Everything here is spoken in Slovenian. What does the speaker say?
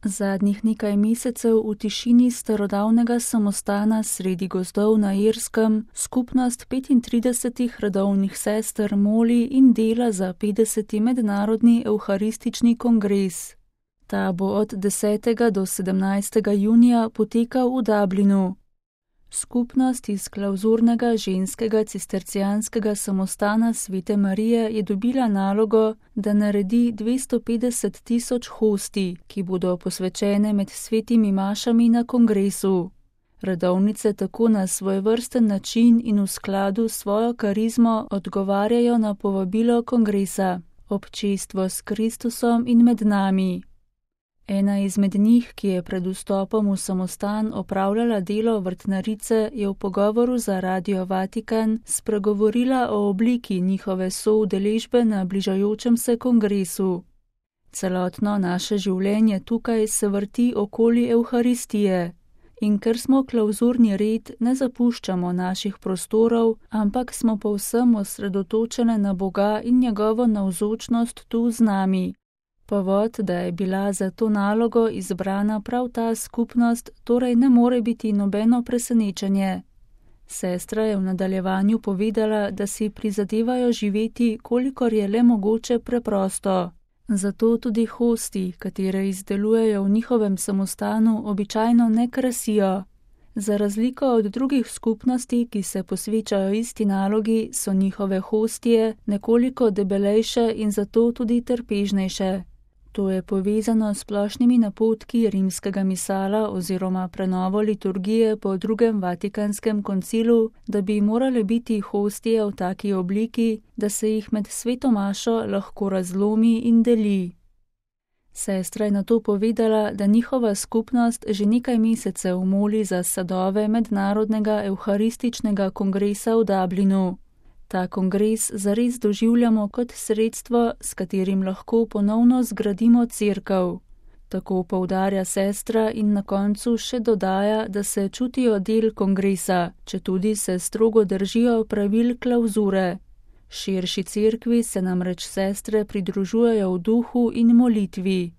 Zadnjih nekaj mesecev v tišini starodavnega samostana sredi gozdov na Irskem skupnost 35 redovnih sester moli in dela za 50. mednarodni evharistični kongres. Ta bo od 10. do 17. junija potekal v Dublinu. Skupnost iz klavzurnega ženskega cistercijanskega samostana Svete Marije je dobila nalogo, da naredi 250.000 hostij, ki bodo posvečene med svetimi mašami na kongresu. Redovnice tako na svojevrsten način in v skladu s svojo karizmo odgovarjajo na povabilo kongresa, občestvo s Kristusom in med nami. Ena izmed njih, ki je pred vstopom v samostan opravljala delo vrtnarice, je v pogovoru za Radio Vatikan spregovorila o obliki njihove soudeležbe na bližajočem se kongresu. Celotno naše življenje tukaj se vrti okoli Evharistije in ker smo klavzurni red, ne zapuščamo naših prostorov, ampak smo povsem osredotočene na Boga in njegovo navzočnost tu z nami. Povod, da je bila za to nalogo izbrana prav ta skupnost, torej ne more biti nobeno presenečenje. Sestra je v nadaljevanju povedala, da si prizadevajo živeti, kolikor je le mogoče preprosto. Zato tudi hosti, katere izdelujejo v njihovem samostanu, običajno ne krasijo. Za razliko od drugih skupnosti, ki se posvečajo isti nalogi, so njihove hostije nekoliko debelejše in zato tudi trpežnejše. To je povezano s splošnimi napotki rimskega misala oziroma prenovo liturgije po drugem Vatikanskem koncilu, da bi morale biti hostije v taki obliki, da se jih med sveto mašo lahko razlomi in deli. Sestra je nato povedala, da njihova skupnost že nekaj mesecev moli za sadove mednarodnega evharističnega kongresa v Dublinu. Ta kongres zares doživljamo kot sredstvo, s katerim lahko ponovno zgradimo cerkev. Tako poudarja sestra in na koncu še dodaja, da se čutijo del kongresa, četudi se strogo držijo pravil klavzure. Širši cerkvi se namreč sestre pridružujejo v duhu in molitvi.